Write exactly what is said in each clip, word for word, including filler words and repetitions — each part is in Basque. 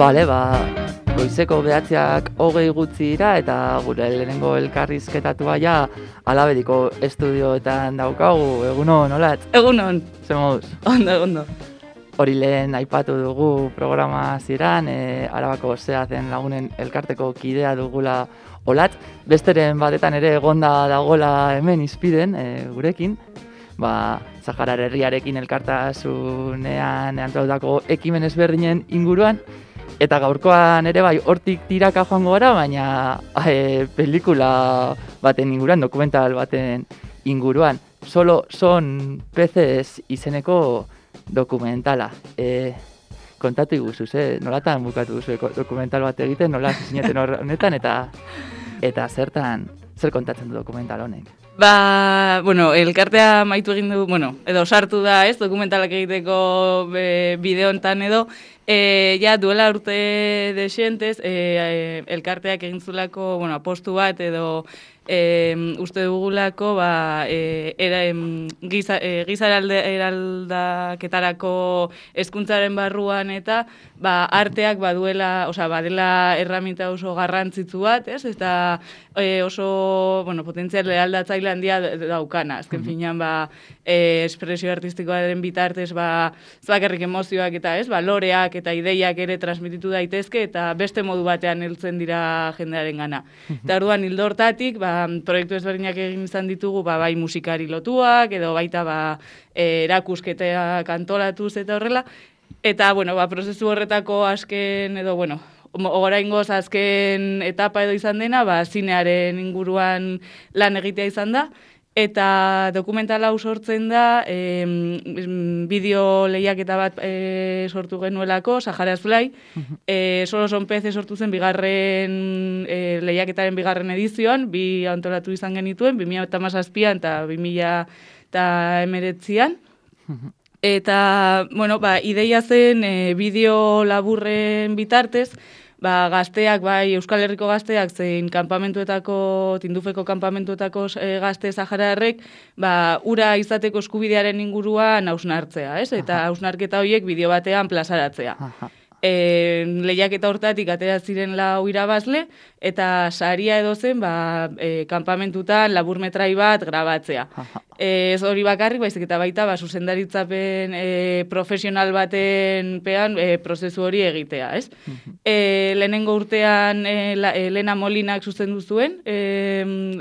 Bale, ba, goizeko behatziak hogei gutxi dira eta gure lehenengo elkarrizketatua ja Alabediko estudioetan daukagu, egunon, olatz? Egunon. Zer moduz? Ondo, ondo. Hori lehen aipatu dugu programa ziran, e, Arabako Zehazen Lagunen elkarteko kidea dugula olatz. Besteren batetan ere egonda dagola hemen izpiden, e, gurekin. Ba, Saharar herriarekin elkartasunean antolatutako ekimen ezberdinen inguruan. Eta gaurkoan ere bai, hortik tiraka joango gara, baina e, pelikula baten inguruan, dokumental baten inguruan. Solo son peces izeneko dokumentala. E, kontatu iguzuz, eh? Nolatan bukatu duzu dokumental bat egiten, nola zineten honetan, eta eta zertan, zer kontatzen du dokumental honek? Ba, bueno, elkartea maitu egin du, bueno, edo sartu da, ez, dokumentalak egiteko e, bideontan edo, e, ja, duela urte desientez, e, elkarteak egin zulako, bueno, apostu bat edo e, uste dugulako, ba, e, era, em, giza, e, giza eraldaketarako hezkuntzaren barruan eta, ba, arteak baduela, osea, badela erraminta oso garrantzitsu bat, ez, eta e, oso, bueno, potentzial eraldatzaile handia daukana. Azken finean, ba, e, espresio artistikoaren bitartez, ba, zakarrik emozioak eta, ez, ba, loreak eta ideiak ere transmititu daitezke eta beste modu batean heltzen dira jendearen gana. Eta orduan hildo hortatik, ba, proiektu ezberdinak egin izan ditugu, ba, bai musikari lotuak, edo baita, ba, e, erakusketeak antolatuz eta horrela. Eta, bueno, ba, prozesu horretako azken, edo, bueno, oraingoz azken etapa edo izan dena, ba, zinearen inguruan lan egitea izan da, eta dokumentala hau sortzen da, e, bideo lehiaketa bat e, sortu genuelako, Saharaz Fly, e, Solo son peces sortu zen bigarren e, lehiaketaren bigarren edizioan, bi antolatu izan genituen, bi mila hamazazpian eta bi mila hemeretzian. Eta, bueno, ba, ideia zen e, bideo laburren bitartez, ba, gazteak, bai, Euskal Herriko gazteak, zein kanpamentuetako, Tindufeko kanpamentuetako e, gazte sahararrek, ba, ura izateko eskubidearen inguruan hausnartzea, ez? Eta hausnarketa horiek bideo batean plazaratzea. E, lehiaketa hortatik atera ziren lau irabazle, eta saria edo zen, ba, e, kanpamentutan laburmetrai bat grabatzea. E, ez hori bakarrik, baizik eta baita, ba, zuzendaritzapen e, profesional baten pean e, prozesu hori egitea, ez? E, lehenengo urtean e, la, e, Lena Molinak zuzendu zuen e,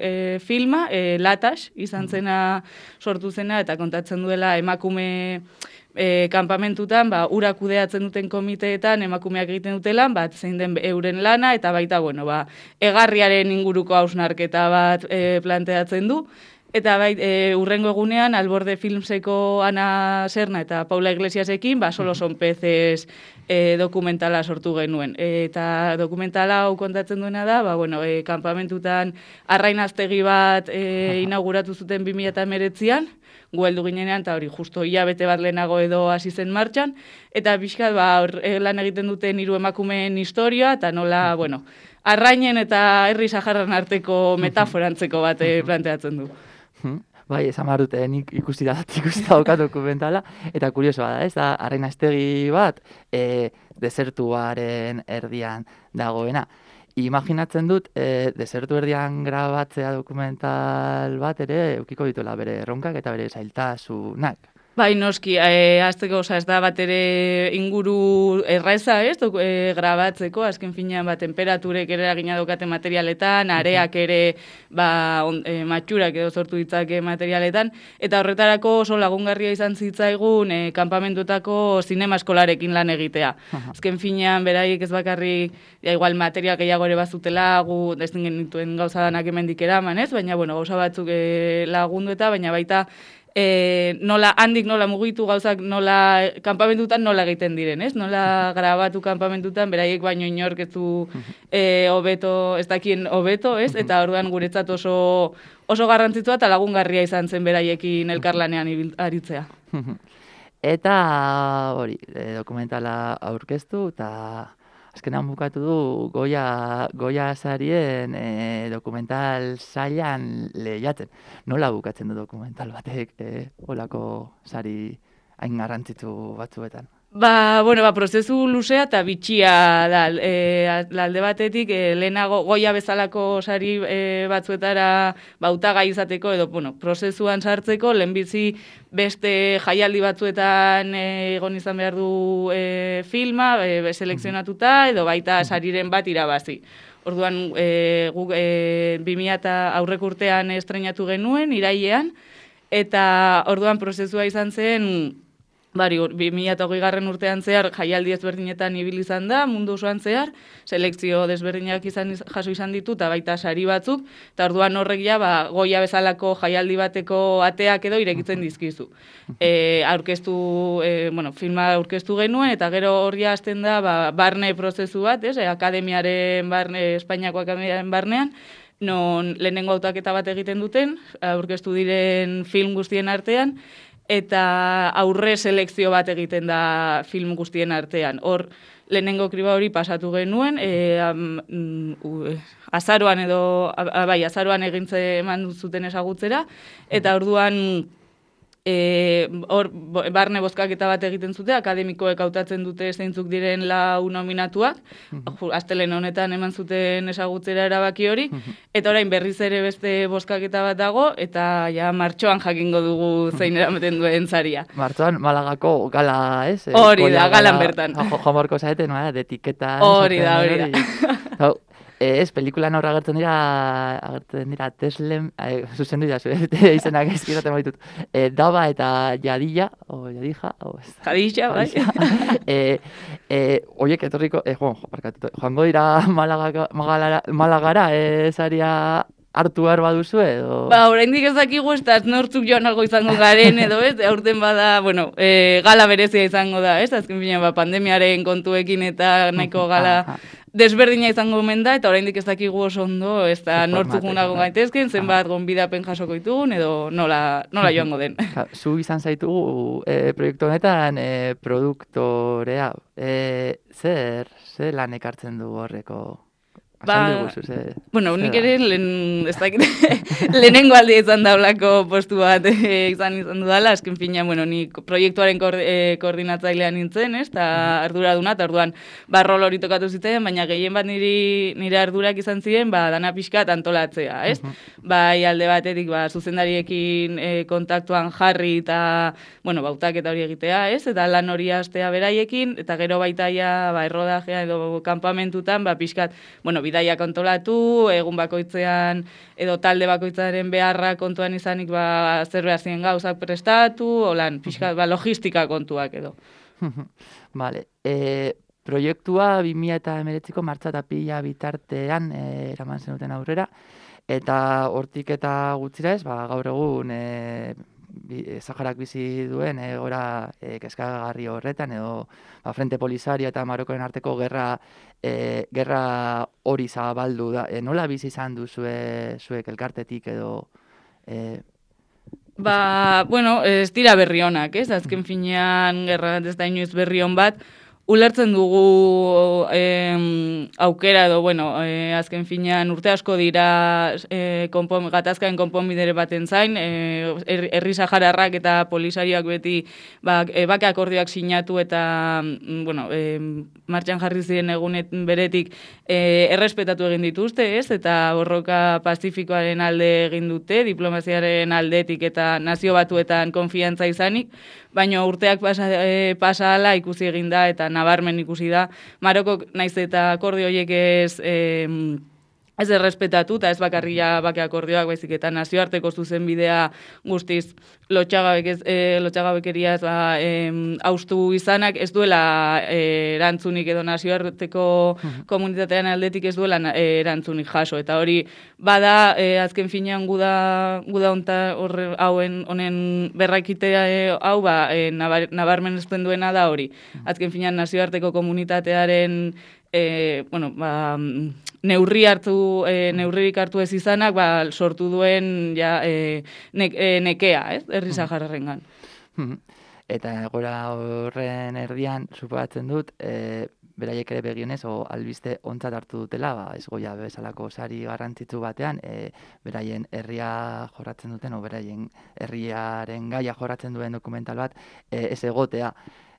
e, filma, e, Latax izan zena sortu zena, eta kontatzen duela emakume E, kanpamentutan, ba, ura kudeatzen duten komiteetan emakumeak egiten dutelan, bat zein den euren lana, eta baita, bueno, ba, egarriaren inguruko hausnarketa bat e, planteatzen du. Eta bai, e, urrengo egunean, Alborde Filmseko Ana Serna eta Paula Iglesiasekin, ba, Solo son peces e, dokumentala sortu genuen. E, eta dokumentala hau kontatzen duena da, ba, bueno, e, kanpamentutan arrainaztegi bat e, inauguratu zuten bi mila hemeretzian, gu heldu ginenean, eta hori justo hilabete bat lehenago edo hasi zen martxan, eta pixkat, ba, lan egiten duten hiru emakumeen historia, eta nola, bueno, arrainen eta herri saharran arteko metaforantzeko bat planteatzen du. Bai, esan behar dute, nik ikusi da, ikusi da okat dokumentala, eta kuriosoa da, ez da, arrainaztegi bat, e, desertuaren erdian dagoena. Imaginatzen dut, e, desertu erdian grabatzea dokumental bat ere, eukiko dituela bere erronkak eta bere zailtasunak. Bai, noski, e, azteko, oza, ez da bat ere inguru erraza, ez, dok, e, grabatzeko, azken finean, ba, temperaturek ere eragina daukate materialetan, areak ere, ba, on, e, matxurak edo sortu ditzake materialetan, eta horretarako oso lagungarria izan zitzaigun, e, kanpamentuetako zinema eskolarekin lan egitea. Azken finean, beraiek ez bakarrik, ja, igual, material gehiago ere bazutela, gu, ez genituen gauza danak hemendik eraman, ez, baina, bueno, gauza batzuk e, lagundu eta, baina baita, E, nola, handik nola mugitu gauzak nola, kanpamentutan nola egiten diren, ez? Nola grabatu kanpamentutan, beraiek baino inork ez du e, hobeto, ez dakien hobeto, ez? Eta orduan guretzat oso, oso garrantzitsua eta lagungarria izan zen beraiekin elkarlanean aritzea. Eta hori, e, dokumentala aurkeztu, eta azkenan bukatu du Goya, Goya sarien e, dokumental sailan lehiatzen. Nola bukatzen du dokumental batek e, olako sari hain garrantzitsu batzuetan? Ba, bueno, ba, prozesu luzea eta bitxia da, e, alde batetik, e, lehenago goia bezalako sari e, batzuetara bautagai izateko, edo, bueno, prozesuan sartzeko, lehenbizi beste jaialdi batzuetan e, egon izan behar du e, filma, e, selekzionatuta, edo baita sariren bat irabazi. Orduan, e, guk e, bi mila eta aurreko urtean estrenatu genuen, irailean, eta orduan prozesua izan zen, Bari, bi mila eta hogei garren urtean zehar jaialdi ezberdinetan ibili izan da, mundu osoan zehar, selekzio desberdinak izan jaso izan ditu, eta baita sari batzuk, eta orduan horrek ja, ba, goia bezalako jaialdi bateko ateak edo irekitzen dizkizu. E, aurkeztu, e, bueno, filma aurkeztu genuen, eta gero horria hasten da, ba, barne prozesu bat, ez, e, akademiaren barne, Espainiako akademiaren barnean, non lehenengo hautaketa bat egiten duten, aurkeztu diren film guztien artean, eta aurre selekzio bat egiten da film guztien artean. Hor, lehenengo kriba hori pasatu genuen, e, um, uh, azaroan edo, a, bai, azaroan egintze eman zuten ezagutzera, eta orduan e, hor, barne bozkaketa bat egiten zute, akademikoek hautatzen dute zeintzuk diren lau nominatuak, astelen honetan eman zuten ezagutzera erabaki hori, eta orain berriz ere beste bozkaketa bat dago, eta ja martxoan jakingo dugu zein eramaten duen zaria. Martxoan Malagako gala, ez? Hori da, galan bertan. Joan Borko zaeten, de etiketa. Hori da, hori da. Ez, pelikulan horra agertzen dira, agertzen dira Teslen, eh, zuzendu dira, izenak ezkiraten baitut, eh, Daba eta Jadilla, o Jadija, o ez. Jadilla, bai. eh, eh, oiek, etorriko, eh, joan, barkatuto, joango dira Malaga, Malagara, Malagara, eh, zaria hartu behar baduzu edo? Ba, oraindik ez dakigu ez da nortzuk joan algo izango garen edo ez, aurten bada, bueno, e, gala berezia izango da, ez, azken fina, ba, pandemiaren kontuekin eta nahiko gala desberdina izango omen da, eta oraindik ez dakigu oso ondo, ez da nortzuk gunago gaitezken, zenbat gonbidapen jasoko ditugun, edo nola, nola joango den. Zu izan zaitugu e, proiektu honetan e, produktorea, e, zer, zer lan ekartzen du horreko? Ba, bueno, nik ere lehen, ez dakit, lehenengo aldi izan daulako postu bat e, izan izan dudala, azken fina, bueno, nik proiektuaren ko, e, koordinatzailean nintzen, ez, eta ardura duna, eta orduan barrol hori tokatu zitzen, baina gehien bat niri, nire ardurak izan ziren, ba, dana pixkat antolatzea, ez? Bai, alde batetik, ba, zuzendariekin e, kontaktuan jarri eta, bueno, bautak eta hori egitea, ez? Eta lan hori hastea beraiekin, eta gero baitaia, ba, errodajea edo kanpamentutan, ba, pixkat, bueno, bidaia kontolatu, egun bakoitzean edo talde bakoitzaren beharra kontuan izanik ba, zer behar ziren gauzak prestatu, holan, pixka, ba, logistika kontuak edo. Vale. E, proiektua bi mila hemeretziko martxa eta pila bitartean e, eraman zenuten aurrera, eta hortik eta gutxira ez, ba, gaur egun e, Saharak bizi duen egora e, kezkagarri horretan, edo ba, Frente Polisario eta Marokoen arteko gerra e, gerra hori zabaldu da. E, nola bizi izan duzue zuek elkartetik edo... E, ba, bueno, ez dira berri honak, ez? Azken finean gerra ez da inoiz berri hon bat, ulertzen dugu eh, aukera edo, bueno, eh, azken finean urte asko dira eh, konpon, gatazkaen konponbidere baten zain, eh, herri sahararrak eta polisarioak beti ba, e, bake akordioak sinatu eta mm, bueno, eh, martxan jarri ziren egunet beretik eh, errespetatu egin dituzte, ez? Eta borroka pazifikoaren alde egin dute, diplomaziaren aldetik eta nazio batuetan konfiantza izanik, baina urteak pasa, e, pasa ala ikusi egin da eta nabarmen ikusi da. Marokok naiz eta akordio horiek ez, e, ez errespetatu, eta ez bakarria bake akordioak, baizik eta nazioarteko zuzen bidea guztiz lotxagabek ez, e, lotxagabekeriaz ba, e, haustu izanak, ez duela e, erantzunik edo nazioarteko komunitatean aldetik ez duela e, erantzunik jaso, eta hori bada e, azken finean guda, guda onta horre hauen honen berrakitea e, hau ba, e, nabar, nabarmen ezten duena da hori. Azken finean nazioarteko komunitatearen E, bueno, ba, neurri hartu, e, neurririk hartu ez izanak, ba, sortu duen ja, e, ne, e, nekea, ez? Herri sahararrengan. Eta gora horren erdian, suposatzen dut, e, beraiek ere begionez, o albiste ontzat hartu dutela, ba, ez goia bezalako sari garrantzitsu batean, e, beraien herria jorratzen duten, o beraien herriaren gaia jorratzen duen dokumental bat, e, ez egotea.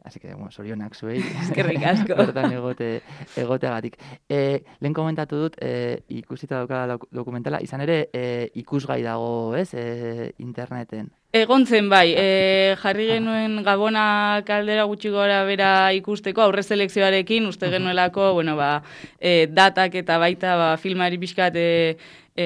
Así que, bueno, sorionak zuei. Eskerrik asko. Bertan egote, egoteagatik. E, lehen komentatu dut, e, ikusita dauka dokumentala, izan ere, e, ikusgai dago, ez, e, interneten. Egon zen bai, e, jarri genuen Gabona kaldera gutxi gora bera ikusteko aurre selekzioarekin, uste genuelako, bueno, ba, e, datak eta baita ba, filmari pixkat e, e,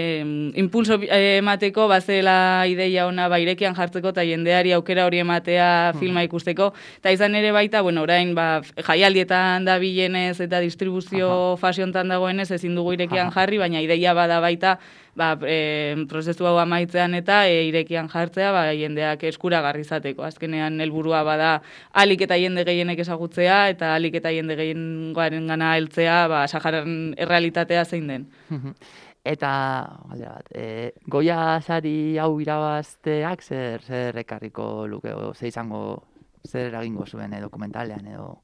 impulso emateko, bazela ideia ona ba, irekian jartzeko eta jendeari aukera hori ematea filma ikusteko, eta izan ere baita, bueno, orain ba, jaialdietan da bilenez eta distribuzio fasiontan dagoenez ezin dugu irekian jarri, baina ideia bada baita, ba, e, prozesu hau amaitzean eta e, irekian jartzea ba, jendeak eskuragarri izateko. Azkenean helburua bada alik eta jende gehienek ezagutzea eta alik eta jende gehiengoaren gana heltzea ba, Saharan errealitatea zein den. Eta, galdera bat, e, Goya sari hau irabazteak zer, zer ekarriko luke, o, ze izango, zer eragingo zuen e, dokumentalean edo...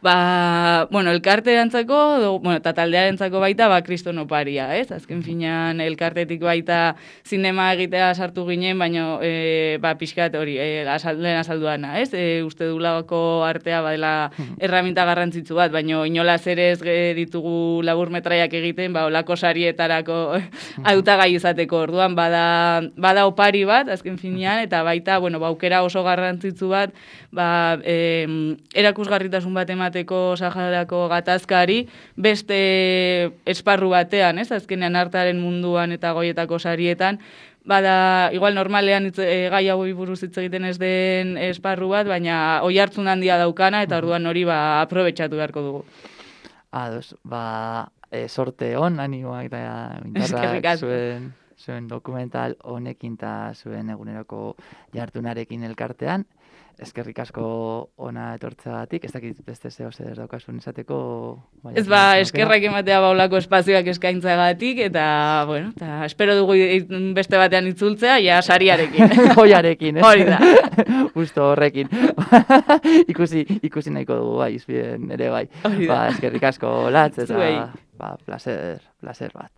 Ba, bueno, elkartearentzako, bueno, eta taldearentzako baita, ba, kriston oparia, ez? Azken finean, elkartetik baita zinema egitea sartu ginen, baina, e, ba, pixkat hori, e, lehen azalduana, ez? E, uste dulako artea badela erraminta garrantzitsu bat, baina inolaz ere ez ditugu laburmetraiak egiten, ba, olako sarietarako hautagai izateko orduan, bada, bada opari bat, azken finean, eta baita, bueno, ba, aukera oso garrantzitsu bat, ba, e, erakusgarritasun bat emateko Saharako gatazkari beste esparru batean, ez? Azkenean artearen munduan eta goietako sarietan, bada, igual normalean itz, e, gai hau buruz hitz egiten ez den esparru bat, baina oihartzun handia daukana eta orduan hori ba aprobetxatu beharko dugu. Ados, ba, e, sorte on, animoak eta indarrak zuen, zuen dokumental honekin eta zuen eguneroko jartunarekin elkartean. Eskerrik asko ona etortzeagatik, ez dakit beste zeo zer daukasun esateko... Ez ba, eskerrak ematea baulako espazioak eskaintzagatik, eta, bueno, eta espero dugu beste batean itzultzea, ja sariarekin. Joiarekin, eh? Hori da. Justo horrekin. ikusi, ikusi nahiko dugu, bai, izbien ere bai. Ba, eskerrik asko latz, eta, ba, placer, placer bat.